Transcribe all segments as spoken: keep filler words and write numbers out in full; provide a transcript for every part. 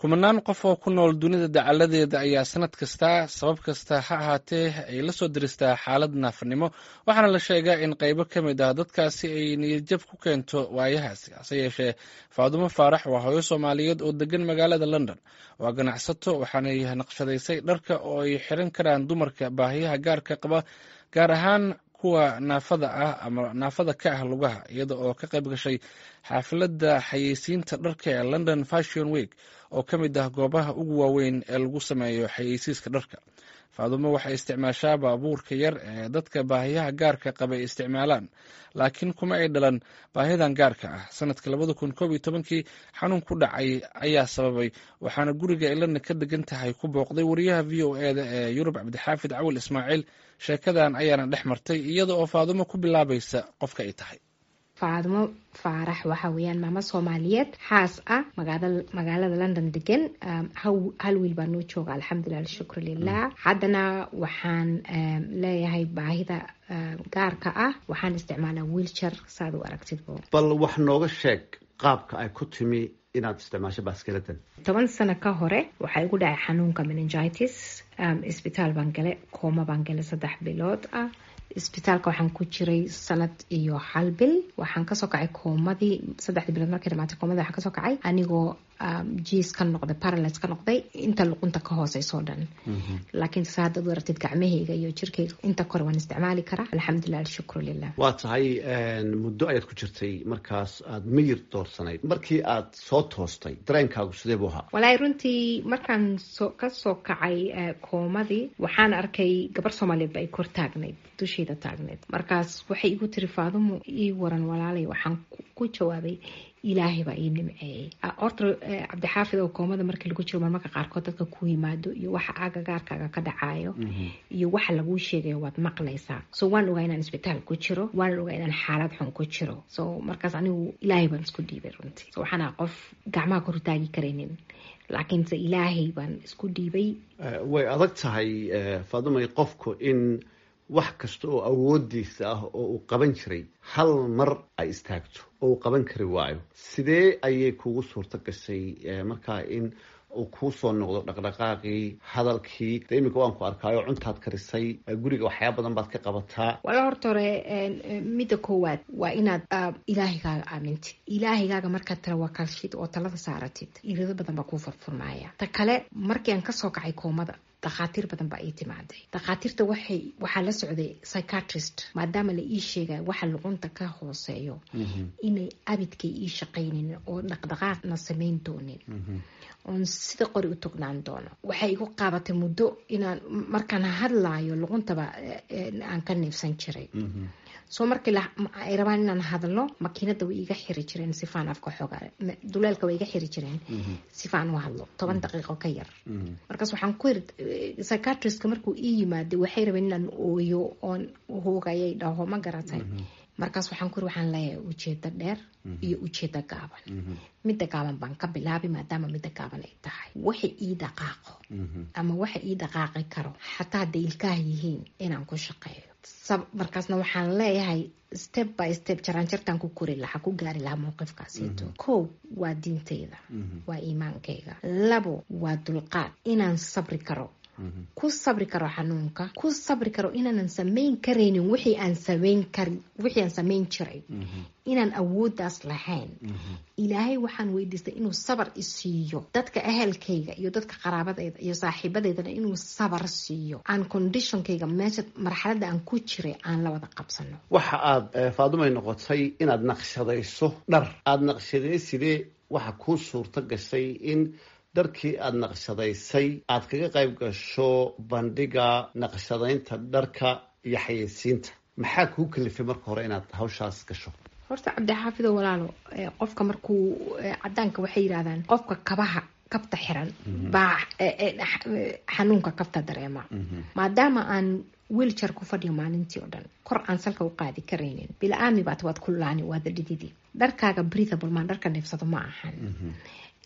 Kumanaan qof oo ku nool dunida dacaladeeda ayaa sanad kasta, sabab kasta ha ahaatee, ay la soo diristaa xaalad naafanimo, waxaana la sheegaa in qaybo ka mid ah dadkaasi ay niyadjab ku keento waayahaasi. Hase yeeshee, Faadumo Faarax waa hooyo Soomaaliyeed oo degan magaalada London. Waa ganacsato, waxaanay naqshadaysay dharka oo ay xiran karaan dumarka baahiyaha gaarka qaba, gaar ahaan kuwa naafada ah ama naafada ka ah lugaha, iyada oo ka qayb gashay xaafilada xayeysiinta dharka ee London Fashion Week, oo ka mid ah goobaha ugu waaweyn ee lagu sameeyo xayeysiiska dharka. Faadumo waxay isticmaashaa baabuurka yar ee dadka baahiyaha gaarka qaba ay isticmaalaan, laakiin kuma ay dhalan baahidan gaarka ah. Sanadka labada kun koob iyo tobankii xanuun ku dhacay ayaa sababay, waxaana guriga ay London ka degan tahay ku booqday wariyaha V O E da ee Yurub, Cabdixaafid Cawil Ismaaciil. Sheekadan ayaana dhex martay, iyada oo Faadumo ku bilaabaysa qofka ay tahay. Faadumo Faarax waxa weeyaan maamo Soomaaliyeed, xaas ah, magaalada London degan. Hal wiil baa noo jooga, alxamdulilah, alshukru lilah. Haddana waxaan leeyahay baahida gaarka ah, waxaan isticmaalaa wheelchair, saad u aragtidbo. Bal wax nooga sheeg qaabka ay ku timi inaad isticmaasho baaskiladan. Toban sano ka hore waxaa igu dhacay xanuunka meningitis. Isbitaal baan galay, kooma baan galay saddex bilood ah. Isbitaalka waxaan ku jiray sanad iyo hal bil. Waxaan kasoo kacay koomadii saddexdii bilood. Markay dhamaatay koomadii, waxaan kasoo kacay anigoo jiis ka noqday, paralyze ka noqday inta luqunta ka hooseysoo dhan. Laakiin sa haddaad u aragtid, gacmahayga iyo jirkayga inta kore waan isticmaali karaa, alxamdulilah, alshukru lilah. Waa tahay, muddo ayaad ku jirtay markaas aad miyir doorsanayd. Markii aad soo toostay, dareenkaagu sidee buu ahaa? Walaahi, runtii markaan soo kasoo kacay koomadii, waxaan arkay gabar Soomaaliyeed ba ay kor taagnayd, dushayda taagnayd. Markaas waxay igu tiri, "Faadumo, ii waran walaalay?" Waxaan ku jawaabay, "Ilaahay baa ii nimceeyey." Horta, Cabdixaafid, oo koomada markii lagu jiro, marmarka qaarkood dadka ku yimaado iyo waxa agagaarkaaga ka dhacayo iyo waxa laguu sheegayo waad maqlaysaa. So waan ogaa inaan isbitaal ku jiro, waan ogaa inaan xaalad xun ku jiro. So markaas anigu Ilaahay baan isku dhiibay runtii. So waxaan aha qof gacmaha kor taagi karaynin, laakiinse Ilaahay baan isku dhiibay. Way adag tahay, Faadumay, qofku in wax kasta oo awoodiisa ah oo uu qaban jiray hal mar ay istaagto oo uu qaban kari waayo. Sidee ayay kugu suurto gashay markaa in uu kuu soo noqdo dhaqdhaqaaqii, hadalkii? De iminka waan ku arkaayo, cuntaad karisay, guriga waxyaaba badan baad ka qabataa. Wala, horta hore midda koowaad waa inaad Ilaahigaaga aamintid. Ilaahigaaga markaad tawakalshid oo talada saaratid, irido badan baa kuu furfurmaaya. Ta kale, markii aan kasoo kacay koomada, dhakhaatiir badan baa ii timaaday. Dhakhaatiirta waxay waxaa la socday psychiatrist, maadaama la ii sheegay waxa luqunta ka hooseeyo inay abidkay ii shaqaynin oo dhaqdhaqaaqna samayn doonin, oon sida qori u tognaan doono. Waxay igu qaabatay muddo inaan markaan hadlaayo luquntaba aan ka neefsan jiray. So markii ay rabaan inaan hadlo, makiinada way iga xiri jireen sifaan afka xooga duleelka way iga xiri jireen sifaan u hadlo toban daqiiqo ka yar. Markaas waxaan ku yiri psychiatristka, markuu ii yimaaday, waxay rabeen inaan ooyo oon hoogayay dhaho, ma garatay? Markaas waxaan ku yiri, waxaan leeyahay ujeedo dheer iyo ujeedo gaaban. Midda gaaban baan ka bilaabay, maadaama midda gaaban ay tahay waxa ii dhaqaaqo ama waxa ii dhaqaaqi karo, xataa hadday ilkaha yihiin, inaan ku shaqeeyo. Markaasna waxaan leeyahay step by step jaraanjartaan ku kori lahaa, ku gaari lahaa mowqifkaasito. Kow waa diintayda, waa iimaankayga. Labo waa dulqaad, inaan sabri karo, ku sabri karo xanuunka, ku sabri karo inaanan samayn karaynin wixii aan samayn kari wixii aan samayn jiray, inaan awooddaas lahayn. Ilaahay waxaan weydiistay inuu sabar isiiyo, dadka ahelkayga iyo dadka qaraabadayda iyo saaxiibadeydana inuu sabar siiyo, aan conditionkayga, meesha marxaladda aan ku jiray, aan la wada qabsano. Waxa aad, Faadumay, noqotay inaad naqshadayso dhar. Aada naqshaday sidee? Waxa kuu suurto gashay in dharkii aada naqshadaysay aad kaga qayb gasho bandhiga naqshadaynta dharka iyo xayeysiinta. Maxaa kuu kalifay marka hore inaad hawshaas gasho? Horta, Cabdixaafido walaalo, qofka markuu cadaanka waxay yidhahdaan, qofka kabaha kabta xiran baa xanuunka kabta dareema. Maadaama aan wheelchair ku fadhiyo maalintii oo dhan, kor aan salka u qaadi karaynin, bila-aami baat waad ku laani, waada dhididi. Dharkaaga breathable maan, dharka neefsado ma ahan.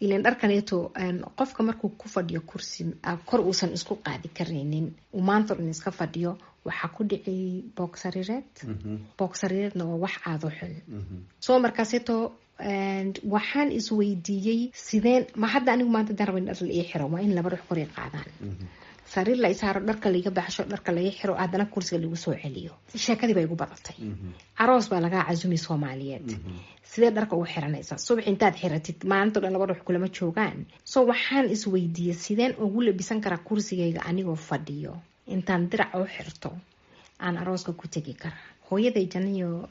Ilan dharkaneeto qofka markuu ku fadhiyo kursi kor uusan isku qaadi karaynin, uu maanta dhan iska fadhiyo. Waxaa ku dhici boog sariireed. Boog sariireedna waa wax aada u xun. Soo markaaseeto waxaan isweydiiyey, sideen ma hadda anigu maanta hadaan rabo in dhar la ii xiro, waa in laba ruux kor i qaadaan, sariir la isaaro, dharka laiga baxsho, dharka laga xiro, haddana kursiga lagu soo celiyo. Sheekadii baa igu badatay. Aroos baa lagaa casumi Soomaaliyeed, sidee dharka ugu xiranaysaa subax intaad xiratid? Maalinto dhan laba ruux kulama joogaan. So waxaan isweydiiyey, sideen ugu labisan karaa kursigayga anigoo fadhiyo, intaan dirac u xirto aan arooska ku tegi karaa? Hooyaday janiyo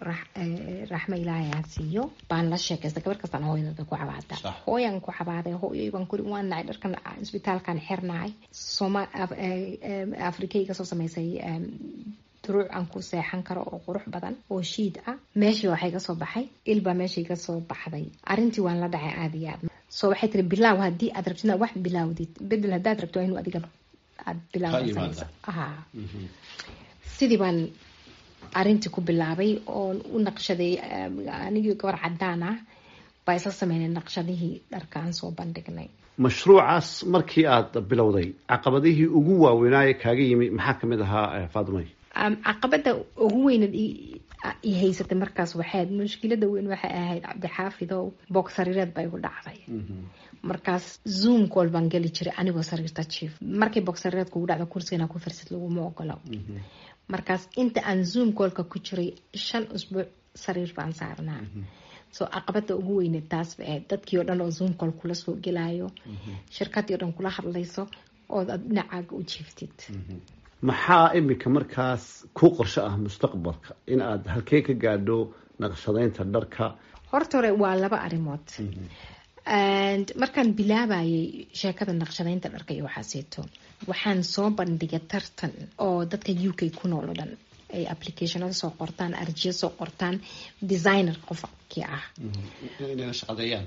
raxmo Ilaahay ha siiyo baan la sheekaystay. Gabar kastaan hooyadada ku cabaada. Hooyaan ku cabaaday, hooyoy baan kuri, waan nacay dharkan isbitaalkan xirnahay. Soma Afrika iga soo samaysay duruuc aan ku seexan karo oo qurux badan oo shiid ah. Meeshii waxay ka soo baxay ilbaa meeshii ka soo baxday. Arrintii waan la dhacay aada iyo aad. So waxay tiri, bilaaw haddii aad rabtid inaad wax bilaawdid, bedel haddaad rabto, waa inuu adiga aad bilaaw. Sidii baan arrintii ku bilaabay oon u naqshaday. Anigii gabar cadaan ah baa isla sameynay naqshadihii dharka aan soo bandhignay. Mashruucaas markii aad bilowday, caqabadihii ugu waaweynaaye kaaga yimi maxaa kamid ahaa, Faadumay? Caqabada ugu weynad i haysatay markaas waxayd, mushkilada weyn waxay ahayd, Cabdixaafidow, boog sariireed baa igu dhacday. Markaas Zoom call baan geli jiray anigoo sariirta jiif. Markay boog sariireed kugu dhacdo, kursigana ku farsid laguma ogolo. Markaas inta aan Zoom callka ku jiray, shan usbuuc sariir baan saarnaa. So caqabada ugu weyneed taas bay ahayd, dadkii oo dhan oo Zoom call kula soo gelayo, shirkadii o dhan kula hadlayso ood aad dhinacaaga u jiiftid. Maxaa iminka markaas ku qorsho ah mustaqbalka, in aad halkee ka gaadho naqshadeynta dharka? Horta hore waa laba arrimood. Markaan bilaabayay sheekada naqshadeynta dharka iyo waxaaseeto, waxaan soo bandhigay tartan oo dadka U K ku nool oo dhan ay applicationada soo qortaan, arjiyo soo qortaan, designer qofkii ah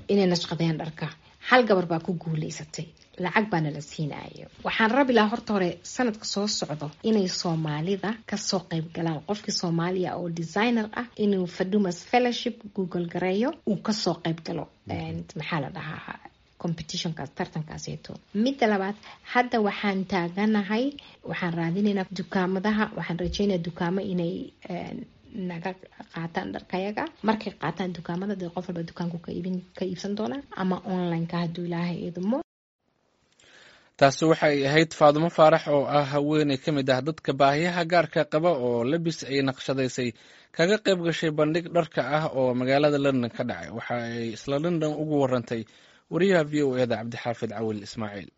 inay nashqadeeyaan dharka. Hal gabar baa ku guuleysatay, lacag baana la siinayo. Waxaan rabi lahaa horta hore sanadka soo socdo inay Soomaalida kasoo qayb galaan. Qofkii Soomaaliya oo designer ah inuu Fadumas Fellowship Google gareeyo, uu kasoo qayb galo, maxaa la dhahaa, competitionkaas, tartankaaseeto. Midda labaad, hadda waxaan taaganahay, waxaan raadinaynaa dukaamadaha. Waxaan rajeynaya dukaamo inay naga qaataan dharkayaga. Markay qaataan dukaamada, dee qof walba dukaanku ka iibin ka iibsan doonaa ama online-ka, hadduu Ilaahay idmo. Taasi waxay ahayd Faadumo Faarax oo ah haweeney ka mid ah dadka baahiyaha gaarka qaba oo labis ay naqshadaysay kaga qayb gashay bandhig dharka ah oo magaalada London ka dhacay. Waxa ay isla London ugu warantay wariyaha V O E da, Cabdixaafid Cawil Ismaaciil.